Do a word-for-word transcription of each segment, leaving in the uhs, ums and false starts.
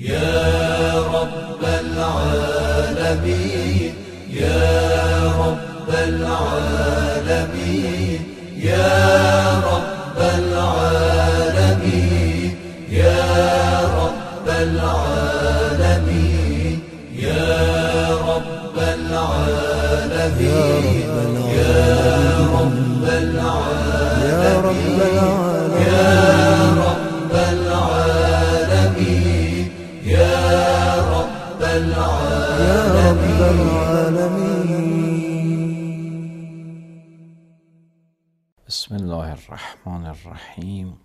يا رب العالمين يا رب العالمين يا رب العالمين يا رب العالمين يا رب العالمين يا رب العالمين يا رب العالمين يا رب العالمين. بسم الله الرحمن الرحیم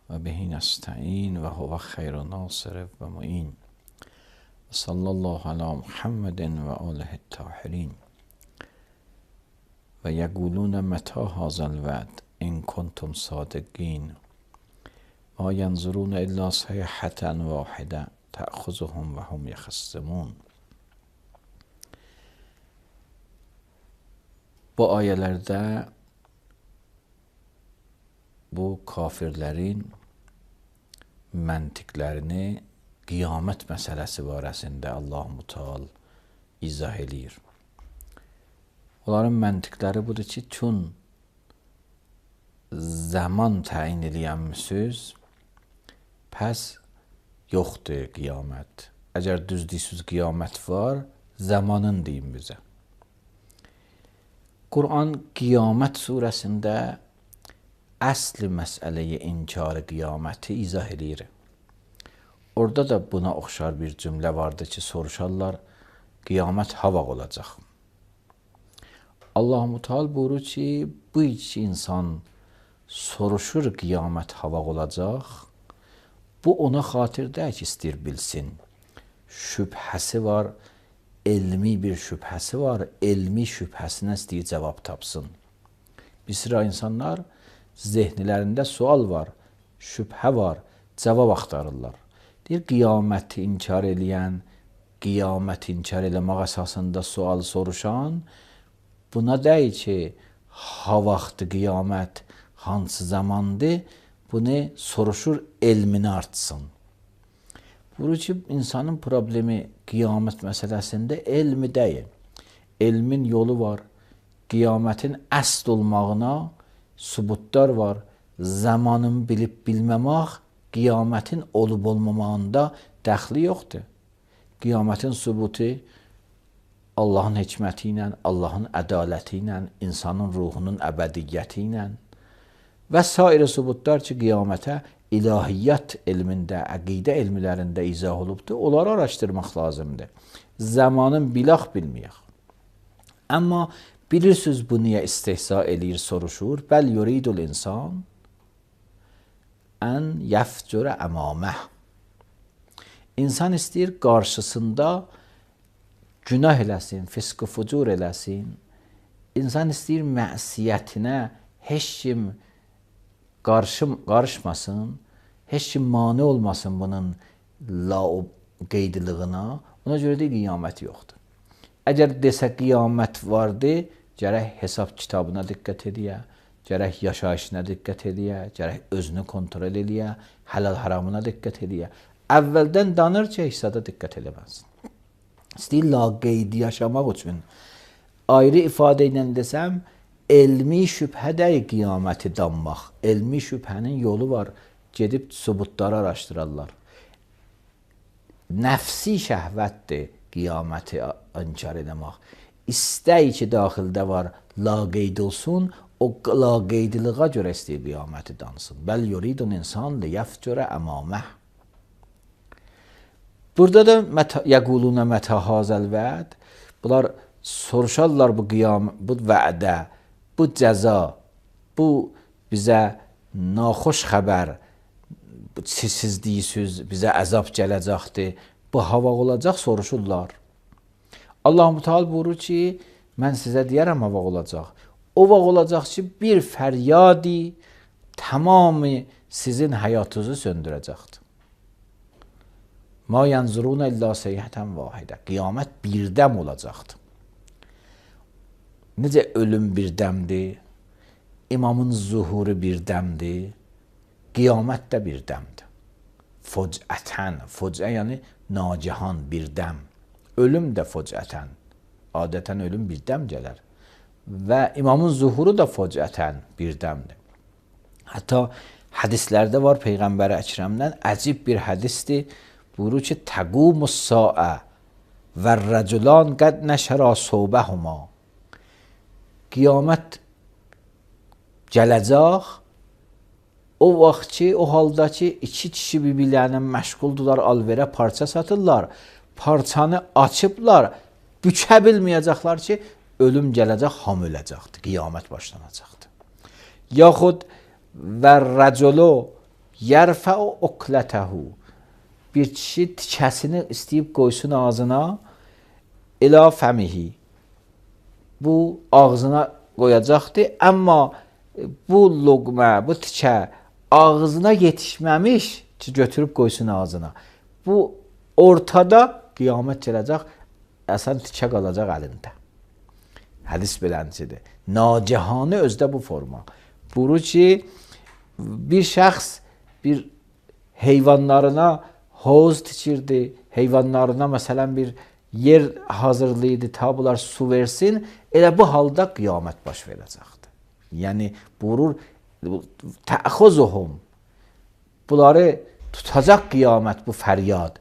و به نستعین و هو خیر ناصر و معین و صلی الله علی محمد و آله الطاهرین و یقولون متی هذا الوعد ان کنتم صادقین ما ینظرون الا صیحة واحده تأخذهم و هم یخصمون. Bu ayələrdə bu kafirlərin məntiqlərini qiyamət məsələsi barəsində Allah-u Teala izah eləyir. Onların məntiqləri budur ki, çün zaman təyin eləyənmisiniz, pəs yoxdur qiyamət. Əgər düz deyirsiniz qiyamət var, zamanın deyin bizə. Quran Qiyamət surəsində əsl məsələyi inkar qiyaməti izah eləyir. Orada da buna oxşar bir cümlə vardı ki, soruşarlar, qiyamət ha vaxt olacaq? Allah-u Teala buyurur ki, bu iki insan soruşur qiyamət ha vaxt olacaq, bu ona xatirdə ki, istəyir bilsin. Şübhəsi var, elmi bir şübhəsi var, elmi şübhəsinə istəyir cavab tapsın. Bir sıra insanlar zehnilərində sual var, şübhə var, cavab axtarırlar. Deyir, qiyaməti inkar eləyən, qiyaməti inkar eləmək əsasında sual soruşan, buna deyir ki, ha vaxtı qiyamət hansı zamandır, bunu soruşur, elmini artsın. Buyurur ki, insanın problemi qiyamət məsələsində elmi deyil. Elmin yolu var, qiyamətin əsl olmağına sübutlar var. Zamanın bilib bilməmək, qiyamətin olub olmamağında dəxli yoxdur. Qiyamətin sübutu Allahın hikməti ilə, Allahın ədaləti ilə, insanın ruhunun əbədiyyəti ilə və sair sübutlar ki, qiyamətə ilahiyyat elmində, əqidə elmlərində izah olubdur, onları araşdırmaq lazımdır. Zamanın bilaq bilməyək. Amma bilirsiniz bu niyə istehza eləyir, soruşur. Bəl yuridul insan ən yəfcürə əmaməh. İnsan istəyir qarşısında günah eləsin, fisq-i fucur eləsin. İnsan istəyir məsiyətinə heç kim qarışım, qarışmasın, heç kim mane olmasın bunun qeydilığına. Ona görə də qiyamət yoxdur. Əgər desə qiyamət vardı, gərək hesab kitabına diqqət ediyə, gərək yaşayışına diqqət ediyə, gərək özünü kontrol ediyə, halal haramına diqqət ediyə. Əvvəldən danır ki, hesada diqqət eləməsin. İstəyir laqeydi yaşamaq üçün. Ayrı ifadə ilə desəm, elmi şübhə deyil qiyaməti danmaq. Elmi şübhənin yolu var. Gedib sübutları araşdırarlar. Nəfsi şəhvətdir qiyaməti inkar eləmək. İstəyi ki, daxildə var, laqeyd olsun, o laqeydiliğə görə istəyir qiyaməti dansın. Bəl yuridun insan liyəfcürə əmaməh. Burada da yəqulunə mətə hazəl vəd. Bunlar soruşarlar bu qiyam, bu vədə, bu cəza, bu bizə naxoş xəbər, siz deyirsiniz, bizə əzab gələcəkdir, bu hava olacaq, soruşurlar. Allah-u Teala buyurur ki, mən sizə deyərəm hava olacaq. O vaxt olacaq ki, bir fəryadi tamamı sizin həyatınızı söndürəcəkdir. Ma yanzuruna illa seyhətən vahidə. Qiyamət birdəm olacaqdır. Necə ölüm birdəmdir, imamın zuhuru birdəmdir, qiyamət də birdəmdir. Focətən, focə yəni nacihan, birdəm. Ölüm də focətən. Adətən ölüm birdəm gələr. Və imamın zuhuru da focətən, birdəmdir. Hətta hədislərdə var Peyğəmbər Əkrəmdən əcib bir hədisdir. Buyurur ki, təqumus saə və rəculan qəd nəşərə sobəhuma. Qiyamət gələcək o vaxt ki, o halda ki, iki kişi birbirlərinə məşğuldular, alverə parça satırlar. Parçanı açıblar, bükə bilməyəcəklər ki, ölüm gələcək, ham öləcəkdir, qiyamət başlanacaqdır. Yaxud və rəculu yərfəu uqlətəhu. Bir kişi tikəsini istəyib qoysun ağzına, ilə fəmihi. Bu ağzına qoyacaqdır, amma bu loqmə, bu tikə ağzına yetişməmiş ki, götürüb qoysun ağzına. Bu ortada qiyamət gələcək, əsən tikə qalacaq əlində. Hədis beləncidir. Nacihanı özdə bu forma. Buyurur ki, bir şəxs bir heyvanlarına hovuz tikirdi, heyvanlarına məsələn bir yer hazırlayırdı, ta bunlar su versin, elə bu halda qiyamət baş verəcəkdir. Yəni, buyurur, təxuzuhum, bunları tutacaq qiyamət, bu fəryad.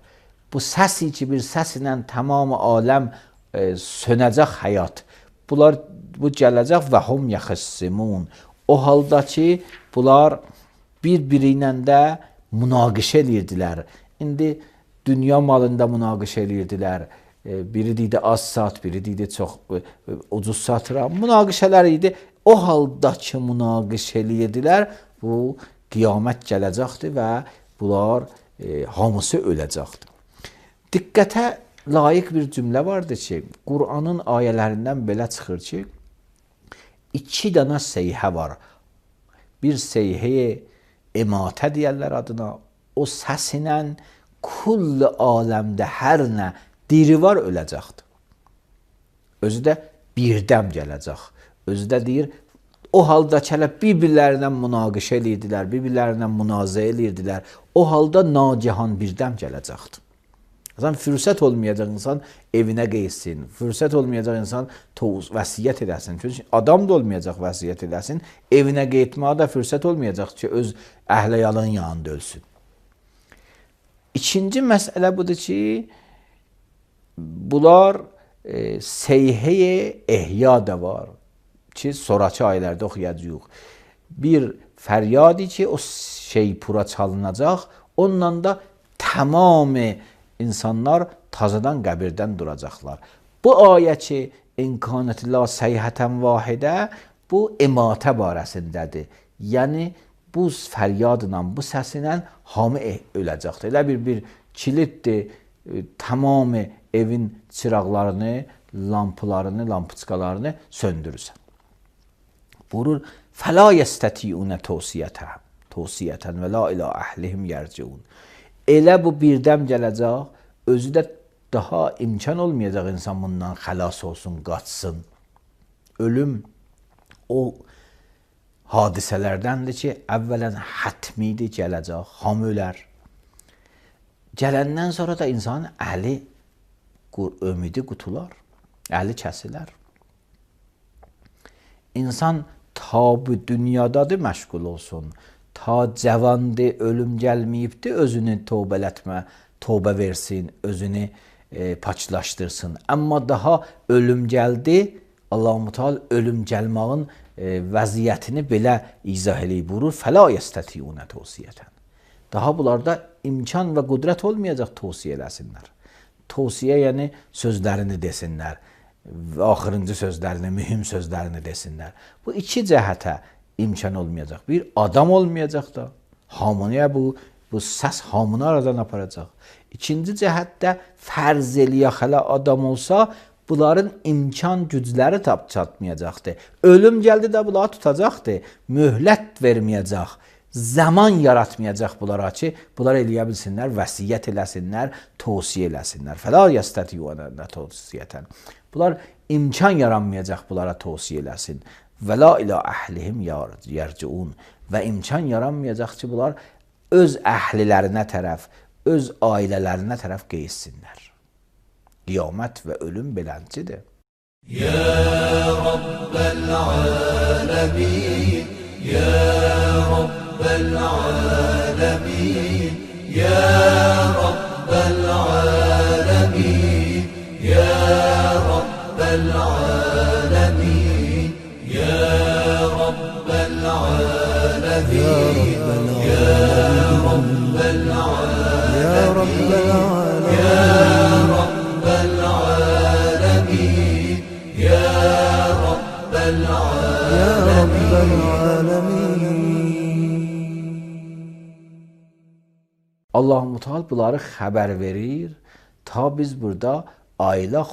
Bu səsi ki, bir səsinlə tamam aləm e, sönəcək həyat. Bunlar, bu gələcək və hum yaxıssimun. O halda ki, bunlar bir-biri ilə də münaqişə edirdilər. İndi dünya malında münaqişə edirdilər. E, biri deyildi az saat, biri deyildi çox e, ucuz satıram. Münaqişələr idi. O halda ki, münaqişə edirdilər, bu qiyamət gələcəkdir və bunlar e, hamısı öləcəkdir. Diqqətə layiq bir cümlə vardır ki, Qur'anın ayələrindən belə çıxır ki, iki dənə seyhə var. Bir seyhəyə ematə deyərlər adına, o səsinlə kulli aləmdə hər nə diri var öləcəkdir. Özü də birdəm gələcək. Özü də deyir, o halda kələ bir-birlərinə münaqişə edirdilər, bir-birlərinə münazə edirdilər. O halda nacihan birdəm gələcəkdir. Zaten fürsət olmayacaq insan evinə qeysin, fürsət olmayacaq insan toz, vəsiyyət edəsin. Çünki adam da olmayacaq vəsiyyət edəsin, evinə qeytməyə də fürsət olmayacaq ki, öz əhləyalın yanında ölsün. İkinci məsələ budur ki, bunlar e, seyhəyə ehya da var ki, sonraki aylarda oxuyacaq. Bir fəryadi ki, o şey pura çalınacaq, onunla da tamamı insanlar tazadan qəbirdən duracaqlar. Bu ayə ki, imkanətlə seyhətən vahidə, bu ematə barəsindədir. Yəni, bu fəryadla, bu səsinlə hamı öləcəkdir. Elə bir, bir kilitdir, e, tamamı evin çıraqlarını, lampalarını, lampiçkalarını söndürürsən. Buyurur, fəla yəstətiyunə tavsiyətən, tavsiyətən və la ilə əhlihim yərciun. Elə bu birdəm gələcək, özü də daha imkan olmayacaq insan bundan xəlas olsun, qaçsın. Ölüm o hadisələrdəndir ki, əvvələn hətmidir gələcək, ham ölər. Gələndən sonra da insanın əli, ümidi qutular, əli kəsilər. İnsan ta bu dünyadadır məşğul olsun, ta cavandır, ölüm gəlməyibdir, özünü tövbələtmə, tövbə versin, özünü e, paçlaşdırsın. Amma daha ölüm gəldi, Allah-u Teala ölüm gəlmağın e, vəziyyətini belə izah eləyib buyurur. Fəla yəstətiyunə tavsiyətən. Daha bunlarda imkan və qudrət olmayacaq tavsiyə eləsinlər. Tavsiyə yəni sözlərini desinlər, axırıncı sözlərini, mühüm sözlərini desinlər. Bu iki cəhətə imkan olmayacaq. Bir adam olmayacaq da, hamıya bu, bu səs hamını aradan aparacaq. İkinci cəhətdə fərz eləyə xələ adam olsa, bunların imkan gücləri tap çatmayacaqdır. Ölüm gəldi də bunları tutacaqdır. Möhlət verməyəcək. Zaman yaratmayacaq bunlara ki, bunlar eləyə bilsinlər, vəsiyyət eləsinlər, tavsiyə eləsinlər. Fəla yəstətiyunə tavsiyətən. Bunlar imkan yaranmayacaq bunlara tavsiyə eləsin. Və la ilə əhlihim yərciun. Və imkan yaranmayacaq ki, bunlar öz əhlilərinə tərəf, öz ailələrinə tərəf qeyişsinlər. Qiyamət və ölüm beləncidir. Ya Rabbel alemin, Ya Rabbel alemin, Ya Rabbel alemin, Ya Rabbel alemin, Ya Rabbel alemin, Ya Rabbel alemin, Ya Rabbel alemin, Ya Rabbel alemin, Ya Rabbel Ya Rabbel alemin. Allah-u Müteal bunları xəbər verir. Ta biz burada ailə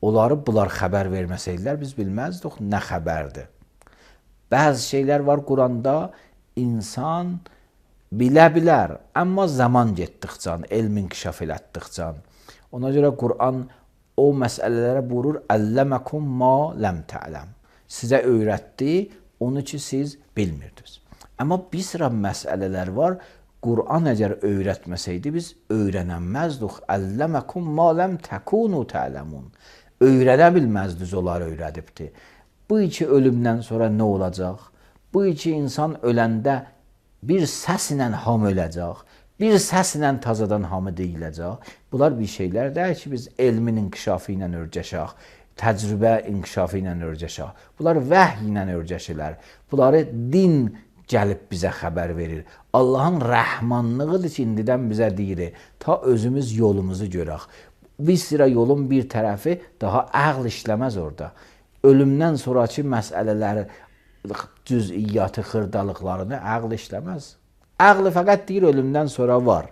onları bunlar xəbər verməsəydilər biz bilməzdik nə xəbərdir. Bəzi şeylər var Quranda insan bilə bilər, amma zaman getdikcə, elm inkişaf elətdikcə. Ona görə Quran o məsələlərə buyurur, Əlləməkum ma ləm tə'ləm. Sizə öyrətdi, onu ki siz bilmirdiniz. Amma bir sıra məsələlər var, Quran əgər öyrətməsəydi biz öyrənəməzdik. Əlləməkum ma ləm təkunu tə'ləmun. Öyrənə bilməzdiniz, onlar öyrədibdi. Bu iki ölümdən sonra nə olacaq? Bu iki insan öləndə bir səslə hamı öləcək, bir səslə tazadan hamı deyiləcək. Bunlar bir şeylər deyil ki, biz elmin inkişafı ilə örgəşək, təcrübə inkişafı ilə örgəşək. Bunlar vəhy ilə örgəşirlər. Bunları din gəlib bizə xəbər verir. Allahın rəhmanlığıdır ki, indidən bizə deyir, ta özümüz yolumuzu görək. Bir sıra yolun bir tərəfi daha əql işləməz orada. Ölümdən sonraki məsələləri, cüz'iyyatı, xırdalıqlarını əql işləməz. Əql fəqət deyir, ölümdən sonra var.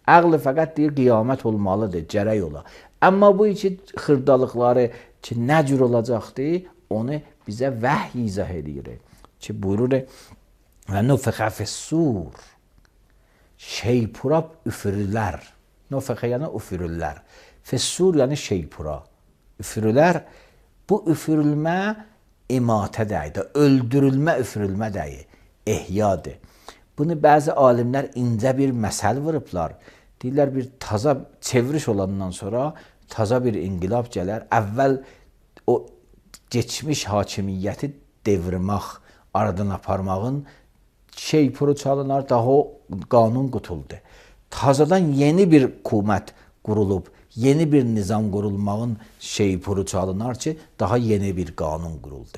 Əql fəqət deyir, qiyamət olmalıdır, gərək ola. Amma bu iki xırdalıqları ki, nə cür olacaqdır, onu bizə vəhy izah edir. Ki, buyurur, və nufəxə fəs-sur, şeypura üfürürlər. Nufəxə yəni üfürürlər. Fəs-sur yəni şeypura. Üfürürlər. Bu üfürülmə imatə dəyir, öldürülmə üfürülmə dəyir, ehyadır. Bunu bəzi alimlər incə bir məsəl vurublar. Deyirlər, bir taza çeviriş olandan sonra taza bir inqilab gələr. Əvvəl o geçmiş hakimiyyəti devirmək, aradan aparmağın şeypuru çalınar, daha o qanun qutuldu. Tazadan yeni bir hökumət qurulub, yeni bir nizam qurulmağın şeypuru çalınar ki, daha yeni bir qanun quruldu.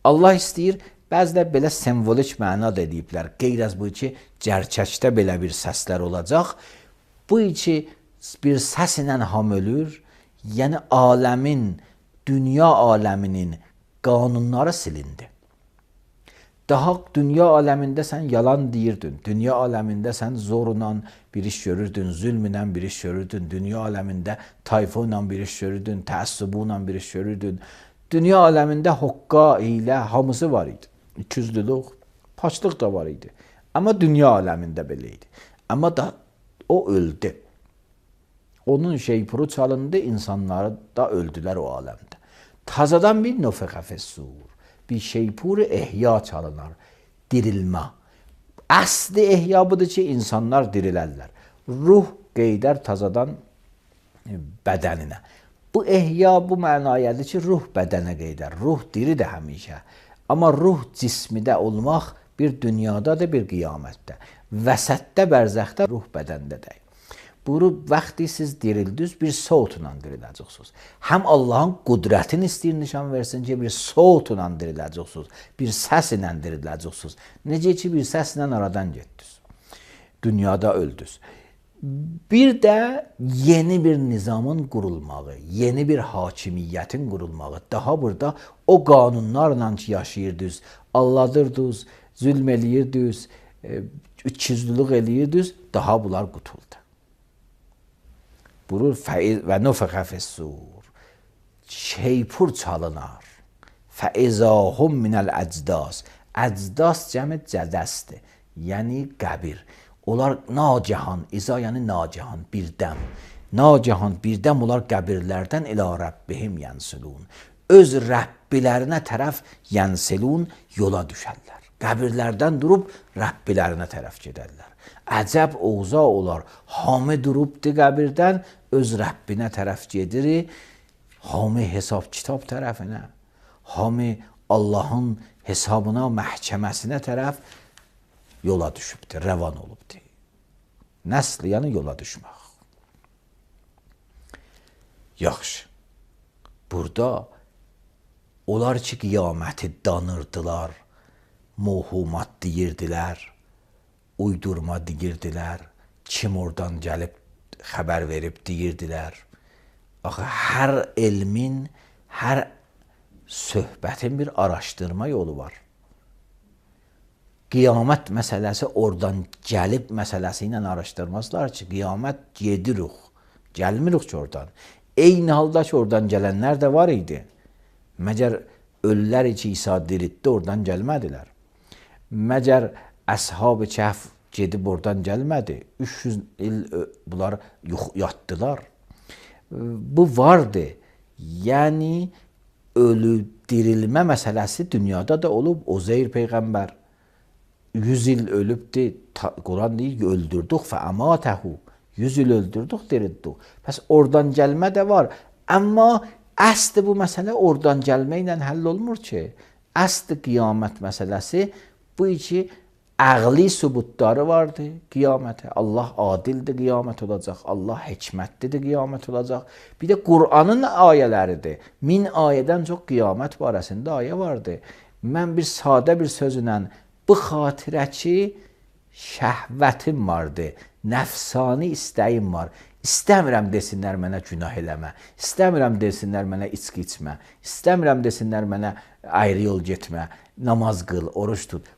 Allah istəyir, bəzilə belə simvolik məna da ediblər. Qeyr az bu ki, gerçəkdə belə bir səslər olacaq. Bu iki bir səs ilə ham ölür, yəni aləmin, dünya aləminin qanunları silindi. Daha dünya aləmində sən yalan deyirdin, dünya aləmində sən zorla bir iş görürdün, zülmlə bir iş görürdün, dünya aləmində tayfa ilə bir iş görürdün, təəssübü ilə bir iş görürdün. Dünya aləmində hoqqa, hiylə, hamısı var idi. İkiyüzlülük, paçlıq da var idi. Amma dünya aləmində belə idi. Amma da o öldü. Onun şeypuru çalındı, insanları da öldülər o aləmdə. Tazadan bir nufəxə fəs-sur, bir şeypuru ehya çalınar, dirilmə. Əsli ehya budur ki, insanlar dirilərlər. Ruh qeydər tazadan bədəninə. Bu ehya bu mənayədir ki, ruh bədənə qeydər. Ruh diridir həmişə. Amma ruh cismidə olmaq bir dünyadadır, bir qiyamətdə. Vəsətdə, bərzəxdə ruh bədəndədir. Buyurub, vaxtı siz dirildiniz, bir soğutla diriləcəksiniz. Həm Allahın qudrətini istəyir nişan versin ki, bir soğutla diriləcəksiniz, bir səs ilə diriləcəksiniz. Necə ki, bir səslə aradan getdiniz. Dünyada öldünüz. Bir də yeni bir nizamın qurulmağı, yeni bir hakimiyyətin qurulmağı. Daha burada o qanunlarla ki, yaşayırdınız, alladırdınız, zülm eləyirdiniz, ikiyüzlülük eləyirdiniz, daha bunlar qutuldu. Buyurur, və nufəxə fəs-sur, şeypur çalınar, fəizahum minəl əcdas. Əcdas cəmi cədəsdir, yəni qəbir. Onlar nacahan, iza yəni nacahan, birdəm. Nacahan, birdəm onlar qəbirlərdən ilə Rəbbihim yənsilun. Öz Rəbbilərinə tərəf yənsilun, yola düşərlər. Qəbirlərdən durub Rəbbilərinə tərəf gedərlər. Əcəb oğza olar. Hamı durubdu qəbirdən, öz Rəbbinə tərəf gedir. Hamı hesab kitab tərəfinə. Hamı Allahın hesabına, məhkəməsinə tərəf yola düşübdü, rəvan olubdu. Nəsl, yəni yola düşmək. Yaxşı. Burada onlar ki, qiyaməti danırdılar, muhumat deyirdilər, uydurma deyirdilər, kim oradan gəlib xəbər verib deyirdilər. Axı, hər elmin, hər söhbətin bir araşdırma yolu var. Qiyamət məsələsi oradan gəlib məsələsi ilə araşdırmazlar ki, qiyamət gedirik, gəlmirik ki oradan. Eyni halda ki, oradan gələnlər də var idi. Məgər ölülər ki, İsa diriltdi, oradan gəlmədilər. Məgər Əshab-ı Kəhf gedib oradan gəlmədi. üç yüz il bunlar yatdılar. Bu vardı. Yəni, ölü dirilmə məsələsi dünyada da olub. Uzeyr Peyğəmbər yüz il ölübdü. Quran deyir, öldürdük fə əmatəhu. yüz il öldürdük, dirildik. Pəs oradan gəlmə də var. Amma əsli bu məsələ oradan gəlmə ilə həll olmur ki. Əsli qiyamət məsələsi bu iki əqli sübutları vardı qiyamətə. Allah adildir, qiyamət olacaq. Allah hikmətlidir, qiyamət olacaq. Bir də Qur'anın ayələridir. Min ayədən çox qiyamət barəsində ayə vardı. Mən bir sadə bir sözlə bu xatirə ki, şəhvətim vardı, nəfsani istəyim var. İstəmirəm desinlər mənə günah eləmə. İstəmirəm desinlər mənə içki içmə. İstəmirəm desinlər mənə ayrı yol getmə. Namaz qıl, oruç tut.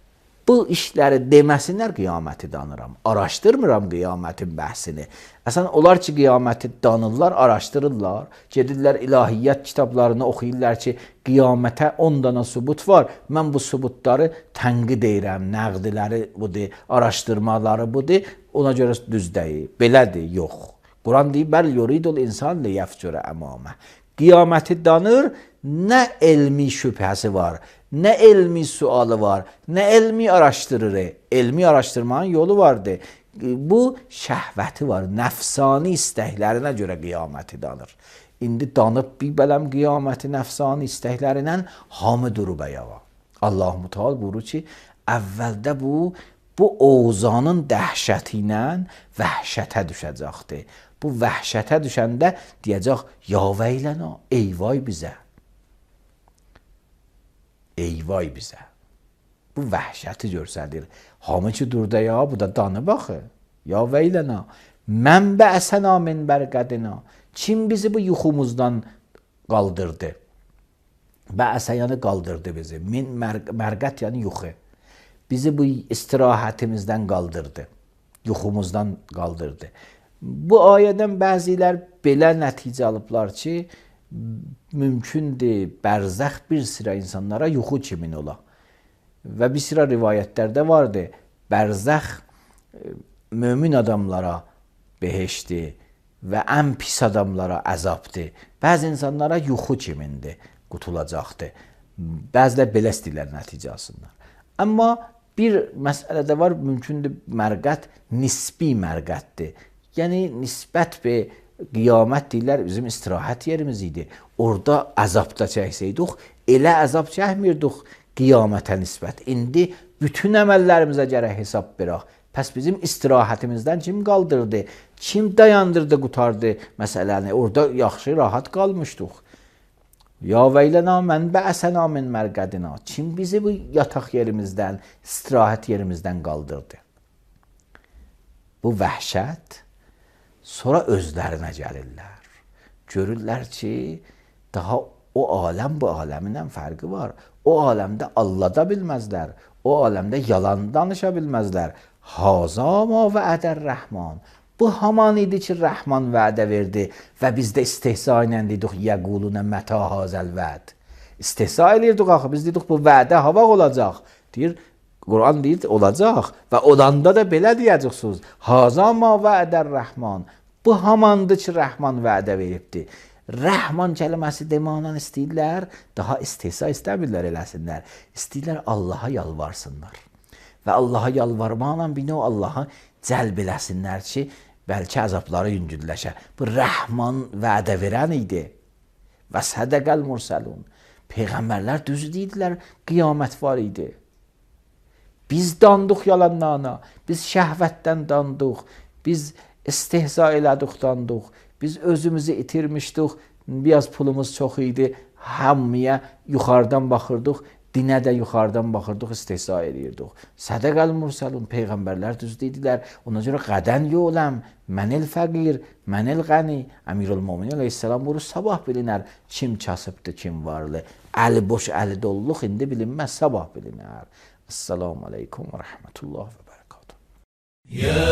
Bu işləri deməsinlər, qiyaməti danıram. Araşdırmıram qiyamətin bəhsini. Əsən, onlar ki, qiyaməti danırlar, araşdırırlar. Gedirlər ilahiyyat kitablarını oxuyurlar ki, qiyamətə on dana sübut var. Mən bu sübutları tənqid edirəm, nəqdiləri budur, araşdırmaları budur. Ona görə düz deyil. Belədir, yox. Quran deyir, bəl yuridul insan liyəfcürə əmamə. Qiyaməti danır, nə elmi şübhəsi var, nə elmi sualı var, nə elmi araşdırır. Elmi araşdırmanın yolu vardır. Bu şəhvəti var, nəfsani istəklərinə görə qiyaməti danır. İndi danıb bir bələm qiyaməti nəfsani istəklərinə hamı durub ayağa. Allah Müteal buyurur ki, əvvəldə bu, bu oğuzanın dəhşəti ilə vəhşətə düşəcəkdir. Bu vəhşətə düşəndə deyəcək, ya veylənə, eyvay bizə. Eyvay bizə. Bu vəhşəti görsədir. Hamı ki durda ya, bu da danı baxı. Ya veylənə, mən bəəsənə min bərqədinə. Kim bizi bu yuxumuzdan qaldırdı? Bəəsə yəni qaldırdı bizi. Min mərqət yəni yuxu. Bizi bu istirahətimizdən qaldırdı. Yuxumuzdan qaldırdı. Bu ayədən bəzilər belə nəticə alıblar ki, mümkündür bərzəx bir sıra insanlara yuxu kimin ola. Və bir sıra rivayətlərdə vardır, bərzəx mömin adamlara behişdir və ən pis adamlara əzabdır. Bəzi insanlara yuxu kimindir, qutulacaqdır. Bəzilər belə istəyirlər nəticə alsınlar. Amma bir məsələ də var, mümkündür mərqət nisbi mərqətdir. Yəni, nisbət və qiyamət deyirlər, bizim istirahət yerimiz idi. Orada əzabda çəksəydik, elə əzab çəkmirdik qiyamətə nisbət. İndi bütün əməllərimizə gərək hesab verək. Pəs bizim istirahətimizdən kim qaldırdı? Kim dayandırdı, qutardı məsələni? Orada yaxşı, rahat qalmışdıq. Ya veylənə, mən bəəsənə min mərqədinə. Kim bizi bu yataq yerimizdən, istirahət yerimizdən qaldırdı? Bu vəhşət. Sonra özlərinə gəlirlər. Görürlər ki, daha o aləm bu aləmindən fərqi var. O aləmdə Allah da bilməzlər. O aləmdə yalan danışa bilməzlər. Haza ma vədər rəhman. Bu haman idi ki, Rəhman vədə verdi və biz də istehza ilə dedik, yəqulunə mətə hazəl vəd. İstehza elirdik axı, biz dedik, bu vədə hava olacaq. Deyir, Quran deyir, olacaq və olanda da belə deyəcəksiniz. Haza ma vədər rəhman. Bu hamandır ki, Rəhman vədə veribdir. Rəhman kəlməsi deməklə istəyirlər, daha istehza istəmirlər eləsinlər. İstəyirlər Allaha yalvarsınlar. Və Allaha yalvarmaqla bir növ Allaha cəlb eləsinlər ki, bəlkə əzabları yüngülləşə. Bu Rəhman vədə verən idi. Və sədəqəl mürsəlun. Peyğəmbərlər düz deyidilər, qiyamət var idi. Biz dandıq yalanlarına, biz şəhvətdən dandıq, biz istehza elədik dandıq, biz özümüzü itirmişdik, biraz pulumuz çox idi, hamıya yuxarıdan baxırdıq, dinə də yuxarıdan baxırdıq, istehza edirdik. Sədəqəl mürsəlun, Peyğəmbərlər düz dedilər. Ona görə qadən yoləm, mənil fəqir, mənil qəni. Əmirül-Möminin əleyhissalam buyurur, sabah bilinər kim kasıbdır, kim varlı. Əli boş, əli dolluq indi bilinməz, sabah bilinər. Esselamu aleykum və rəhmətullah və bərəkatuhu. Ya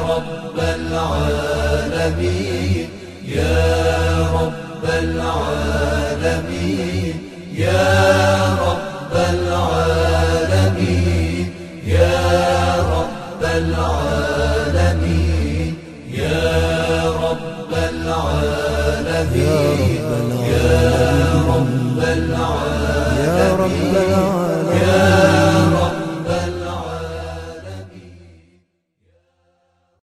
Rabbel alemin, Ya Rabbel alemin, Ya Rabbel alemin, Ya Rabbel alemin, Ya Rabbel alemin, Ya Rabbel alemin.